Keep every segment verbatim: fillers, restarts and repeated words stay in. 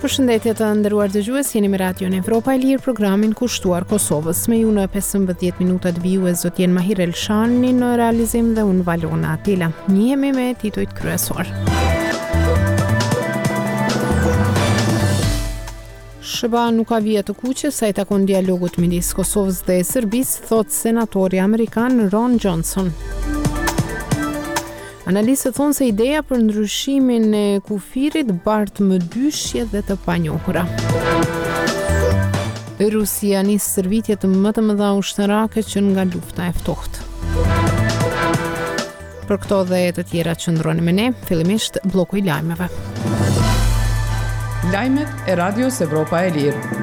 Përshëndetje të nderuar dëgjues, jeni me Radion Evropa e Lirë, programin kushtuar Kosovës. Me ju në pesëmbëdhjetë minutat vijues do të jenë Mahir Elshani në realizim dhe unë Valona Atila. Njihemi me titujt kryesor. S H B A nuk ka vija të kuqe sa i takon dialogut midis Kosovës dhe Serbisë, thot senatori amerikan Ron Johnson. Analistët thonë se ideja për ndryshimin e kufirit bart mëdyshje dhe të panjohura. Rusia nis stërvitjet më të mëdha ushtarake që nga lufta e ftohtë. Për këto dhe të tjera qëndroni me ne, fillimisht bloku i lajmeve. Lajmet e Radios Evropa e Lirë.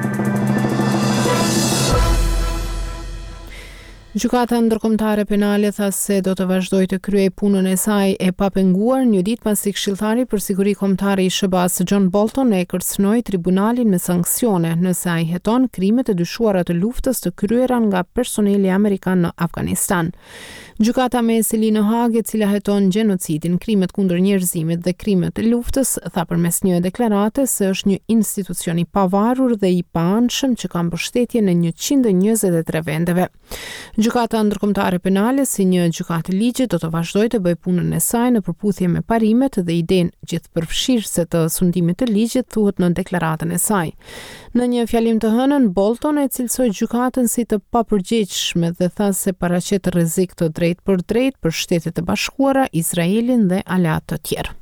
Gjykata Ndërkombëtare Penale tha se do të vazhdojë të kryejë punën e saj e papenguar një ditë pasi këshilltari për siguri kombëtare i S H B A-s John Bolton e kërcënoi tribunalin me sanksione nëse ai heton krimet e dyshuara të luftës të kryera nga personeli amerikan në Afganistan. Gjykata me seli në Hagë, e cila heton gjenocidin, krimet kundër njerëzimit dhe krimet e luftës, tha përmes një deklarate se është një institucion i pavarur dhe i paanshëm që ka mbështetjen e njëqind e njëzet e tre vendeve. Gjykata Ndërkombëtare Penale, si një gjykatë ligjit, do të vazhdojë të bëjë punën e saj në përputhje me parimet dhe idenë gjithëpërfshirëse të sundimit të ligjit, thuhet në deklaratën e saj. Në një fjalim të hënën, Bolton e cilësoi gjykatën si të papërgjegjshme dhe tha se paraqet rrezik të drejtë për drejtë për Shtetet e Bashkuara, Izraelin dhe aleatë të tjerë.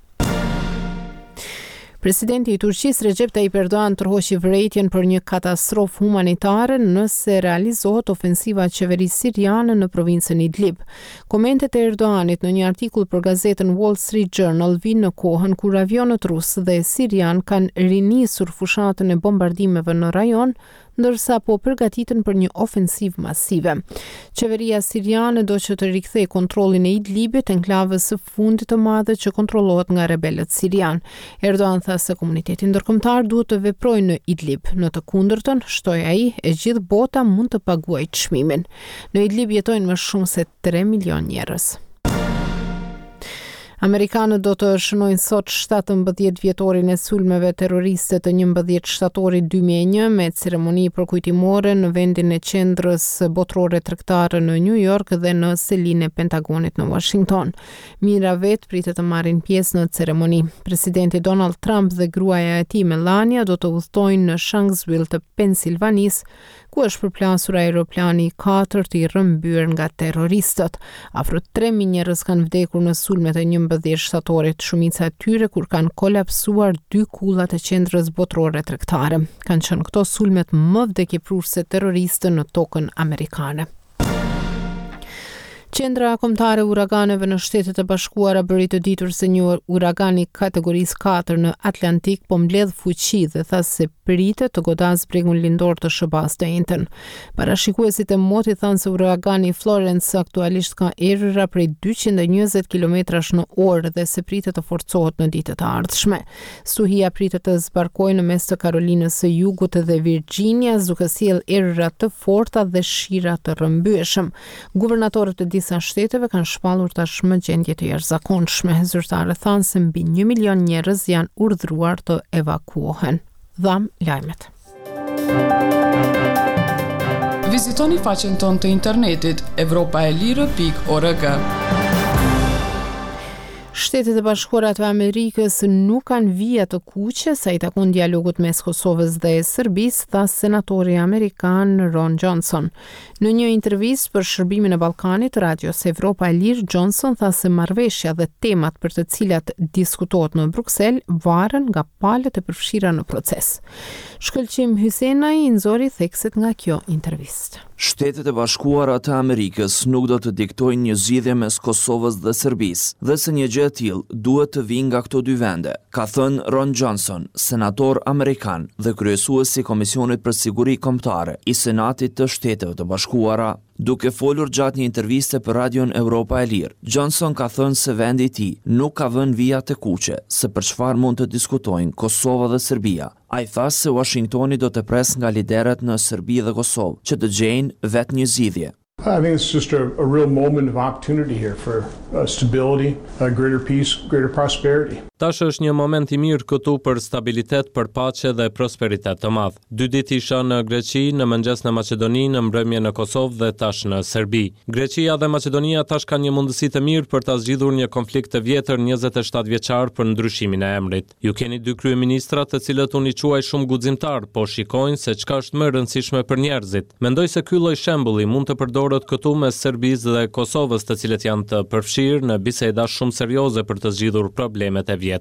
Presidenti i Turqisë Recep Tayyip Erdogan tërhoqi vërejtjen për një katastrofë humanitare nëse realizohet ofensiva e qeverisë siriane në provincën Idlib. Komentet e Erdoganit në një artikull për gazetën Wall Street Journal vinë në kohën kur avionët rusë dhe sirian kanë rinisur fushatën e bombardimeve në rajon, ndërsa po përgatiten për një ofensivë masive. Qeveria siriane do që të rikthejë kontrollin e Idlibit, enklavës së fundit të madhe që kontrollohet nga rebelët sirian. Erdogan tha se komuniteti ndërkombëtar duhet të veprojë në Idlib. Në të kundërtën, shtoi ai, e gjithë bota mund të paguajë çmimin. Në Idlib jetojnë më shumë se tre milion njerëz. Amerikanët do të shënojnë sot shtatëmbëdhjetë vjetorin e sulmeve terroriste të njëmbëdhjetë shtatorit dy mijë e një me ceremoni përkujtimore në vendin e qendrës botërore tregtare në New York dhe në selinë e Pentagonit në Washington. Mijëra vetë pritet të marrin pjesë në ceremoni. Presidenti Donald Trump dhe gruaja e tij Melania do të udhtojnë në Shanksville të Pensilvanisë, ku është përplasur aeroplani i katërt i rrëmbyer nga terroristët. Afro tre mijë njerëz kanë vdekur në sulmet e njëmbëdhjetë shtatorit, shumica e tyre kur kanë kolapsuar dy kullat e qendrës botërore tregtare. Kanë qenë këto sulmet më vdekjeprurëse terroriste në tokën amerikane. Qendra Kombëtare e Uraganeve në Shtetet e Bashkuara bëri të ditur se një uragan i kategorisë katër në Atlantik po mbledh fuqi dhe tha se pritet të godasë bregun lindor të S H B A-s të enjten. Parashikuesit e motit thanë se uragani Florence aktualisht ka erëra prej dyqind e njëzet kilometrash në orë dhe se pritet të forcohet në ditët e ardhshme. Stuhia pritet të zbarkojë në mes të Karolinës së Jugut dhe Virginias, duke sjellë erëra të forta dhe shira të rrëmbyeshëm. Guvernatorët e disa shteteve kanë shpallur tashmë gjendje të jashtëzakonshme. Zyrtarët thanë se mbi një milion njerëz janë urdhëruar të evakuohen. Dham lajmet. Vizitoni faqen tonë të internetit evropaelire pikë org. Shtetet e Bashkuara të Amerikës nuk kanë vija të kuqe sa i takon dialogut mes Kosovës dhe Serbisë, tha senatori amerikan Ron Johnson. Në një intervistë për shërbimin e Ballkanit, Radios Evropa e Lirë, Johnson tha se marrëveshja dhe temat për të cilat diskutohet në Bruksel varen nga palët e përfshira në proces. Shkëlqim Hysenaj i nxori thekset nga kjo intervistë. Shtetet e Bashkuara të Amerikës nuk do të diktojnë një zgjidhje mes Kosovës dhe Serbisë, dhe se një gjë e tillë duhet të vijë nga këto dy vende, ka thënë Ron Johnson, senator amerikan dhe kryesues i Komisionit për Siguri Kombëtare i Senatit të Shteteve të Bashkuara. Duke folur gjatë një interviste për Radion Europa e Lirë, Johnson ka thënë se vendi i tij nuk ka vënë vija të kuqe se për çfarë mund të diskutojnë Kosova dhe Serbia. Ai tha se Washingtoni do të presë nga liderët në Serbi dhe Kosovë që të gjejnë vetë një zgjidhje. I think it's just a, a real moment of opportunity here for uh, stability, uh, greater peace, greater prosperity. Tash është një moment i mirë këtu për stabilitet, për paqe dhe prosperitet të madh. Dy ditë isha në Greqi, në mëngjes në Maqedoni, në mbrëmje në Kosovë dhe tash në Serbi. Greqia dhe Maqedonia tash kanë një mundësi të mirë për ta zgjidhur një konflikt të vjetër njëzet e shtatë vjeçar për ndryshimin e emrit. Ju keni dy kryeministra të cilët unë i quaj shumë guximtar, po shikojnë se çka është më e rëndësishme për njerëzit. Mendoj se ky lloj shembulli mund të përdoret këtu mes Serbisë dhe Kosovës, të cilët janë të përfshirë në biseda shumë serioze për të zgjidhur problemet e vjetra.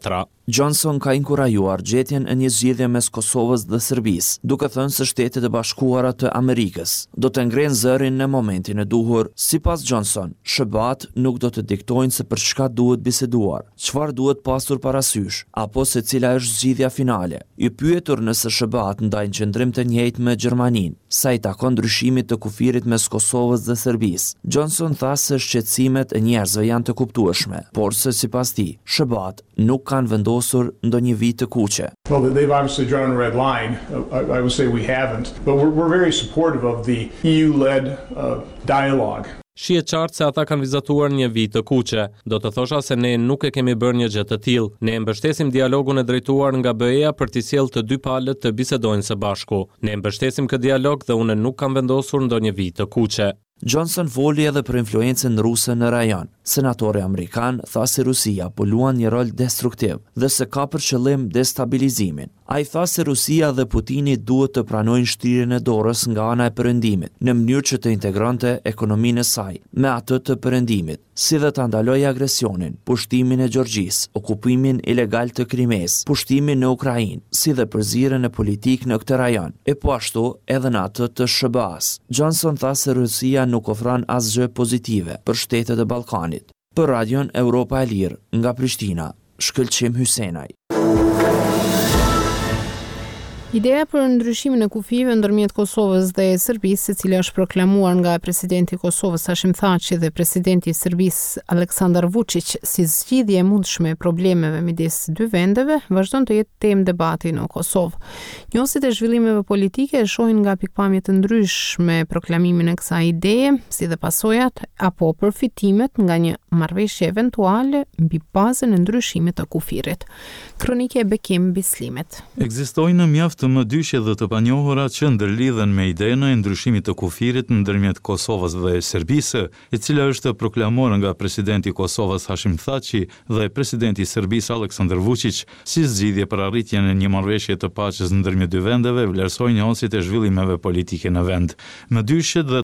Johnson ka inkurajuar gjetjen e një zgjidhje mes Kosovës dhe Serbisë, duke thënë se Shtetet e Bashkuara të Amerikës do të ngrenë zërin në momentin e duhur. Sipas Johnson, S H B A-t nuk do të diktojnë se për çka duhet biseduar, çfarë duhet pasur parasysh, apo se cila është zgjidhja finale. I pyetur nëse S H B A-t ndajnë qëndrim të njëjtë me Gjermaninë, sa i takon ndryshimit të kufirit mes Kosovës dhe Serbisë, Johnson tha se shqetësimet e njerëzve janë të kuptueshme, por se sipas tij, S H B A-t nuk kanë vendosur ndonjë vijë të kuqe. Well, they've obviously drawn a red line. I, I would say we haven't, but we're, we're very supportive of the E U-led uh, dialogue. Shihet qartë se ata kanë vizatuar një vijë të kuqe. Do të thosha se ne nuk e kemi bërë një gjë të tillë. Ne mbështesim dialogun e drejtuar nga B E-ja për t'i sjellë të dy palët të bisedojnë së bashku. Ne mbështesim këtë dialog dhe unë nuk kam vendosur ndonjë vijë të kuqe. Johnson foli edhe për influencën ruse në rajon. Senatori amerikan tha se Rusia po luan një rol destruktiv dhe se ka për qëllim destabilizimin. Ai tha se Rusia dhe Putini duhet të pranojnë shtrirjen e dorës nga ana e Perëndimit, në mënyrë që të integronte ekonominë e saj me atë të Perëndimit, si dhe të ndalojë agresionin, pushtimin e Gjeorgjisë, okupimin ilegal të Krimesë, pushtimin në Ukrainë, si dhe përzierjen e politikë në këtë rajon, e po ashtu edhe në atë të S H B A-s. Johnson tha se Rusia nuk ofron asgjë pozitive për shtetet e Ballkanit. Për Radion Europa e Lirë, nga Prishtina, Shkëlqim Hysenaj. Ideja për ndryshimin e kufijve ndërmjet Kosovës dhe Serbisë, e cila është proklamuar nga presidenti i Kosovës Hashim Thaçi dhe presidenti i Serbisë Aleksandar Vučić si zgjidhje e mundshme e problemeve midis dy vendeve, vazhdon të jetë temë debati në Kosovë. Njohësit e zhvillimeve politike e shohin nga pikpamje të ndryshme proklamimin e kësaj ideje, si dhe pasojat apo përfitimet nga një marrëveshje eventuale mbi bazën e ndryshimit të kufirit. Kronike e Bekim Bislimit. Ekzistojnë mjaft të mëdyshje dhe të panjohura që ndërlidhen me idenë e ndryshimit të kufirit ndërmjet Kosovës dhe Serbisë, e cila është proklamuar nga presidenti i Kosovës Hashim Thaçi dhe presidenti i Serbisë Aleksandar Vučić si zgjidhje për arritjen e një marrëveshje të paqes ndërmjet dy vendeve, vlerësojnë njohësit e zhvillimeve politike në vend. Mëdyshjet dhe